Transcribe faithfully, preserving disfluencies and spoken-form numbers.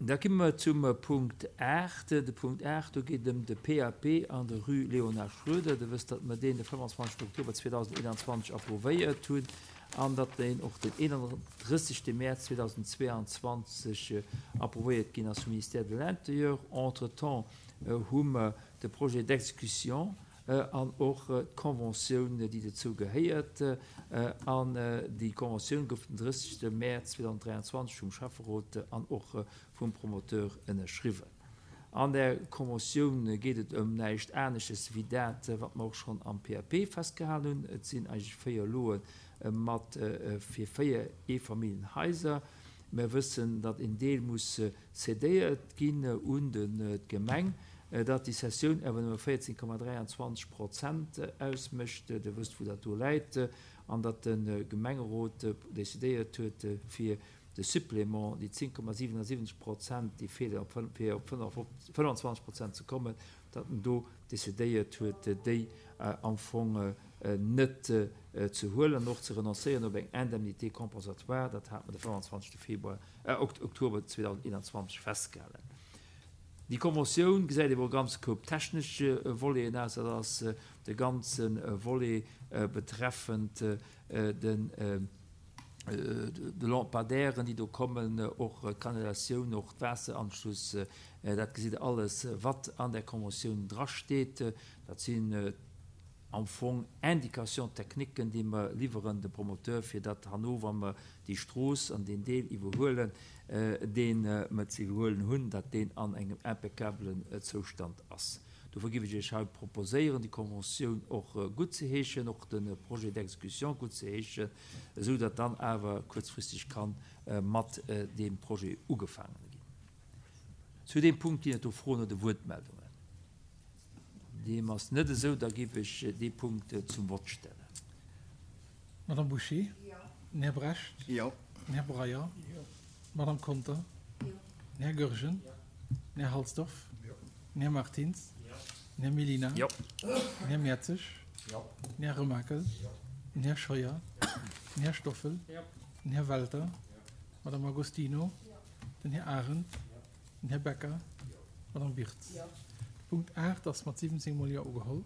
Da komme mer zum Punkt aacht. De Punkt aacht, do geet et ëm de P A P an der Rue Léonard Schroeder. Der wësst, datt mer deen de fënnefanzwanzegsten Oktober zweedausendeenanzwanzeg approuvéiert hunn an datt deen och den eenandrëssegste Mäerz zweedausendzweianzwanzeg approuvéiert ginn ass vum Ministère de l'Intérieur. Entretemps hu mer de Projet d'exécution an och d'Conventioun, déi dozou gehéiert. An déi Conventioun gouf den drëssegste Mäerz zweedausendräianzwanzeg vum Schäfferot an och vum Promoteur ënnerschriwwen. An der Conventioun geet et ëm näischt anesches wéi dat, wat mer och schonn am P A P festgehalen hunn. Et sinn eigentlech véier Lote mat fir véier Eefamilljenhaiser. Mer wëssen, datt een Deel muss cedéiert ginn un d'Gemeng, datt déi Cessioun awer nëmme véierzéng Komma dräianzwanzeg Prozent ausmécht, Dir wësst, wou dat do läit, an datt de Gemengerot decidéiert huet, fir de Supplément, déi zéng Komma siwenasiwwenzeg Prozent, déi feelen, fir op fënnfanzwanzeg Prozent ze kommen, datt en do decidéiert huet, déi am Fong net ze huelen an och ze renoncéieren op eng Indemnité compensatoire. Dat hat mer de fënnefanzwanzegste Februar, Oktober zweedausendeenanzwanzeg festgehalen. Déi Conventioun gesäit awer e ganz Koup technesch Voleten aus. Dat ass de ganze Volet betreffend den de Lampadaires, déi do kommen, och d'Kanalisatioun, och d'Waasseranschluss. Dat gesitt Der alles, wat an där Conventioun drasteet. Dat sinn am Fong Indications techniques, déi mer liwweren de Promoteur, fir datt herno, wa mer déi Strooss an deen Deel iwwerhuelen, dee mer ze iwwerhuelen hunn, datt deen an engem impeccablen Zoustand ass. Dofir géif ech Iech haut proposéieren, déi Conventioun och guttzeheeschen, och de Projet d'exécution guttzeheeschen, esou datt dann awer kuerzfristeg ka mat deem Projet ugefaangen ginn. Zu deem Punkt ginn et do Froen oder Wuertmeldungen? Deem ass net esou, da géif ech dee Punkt zum Vott stellen. Madame Bouché? Jo. Den Här Brecht? Jo. Den Här Breyer? Jo. D'Madame Conter? Jo. Den Här Goergen? Jo. Den Här Halsdorf? Jo. Den Här Martins? Jo. Den Här Mellina? Jo. Den Här Mertzig? Jo. Den Här Remakel? Jo. Den Här Scheuer? Den Här Stoffel? Jo. Den Här Welter? Jo. D'Madame Agostino? Jo. Den Här Arendt? Jo. Den Här Becker? Jo. D'Madame Wirtz? Jo. De Punkt aacht ass mat siwwenzéng Mol Jo ugeholl.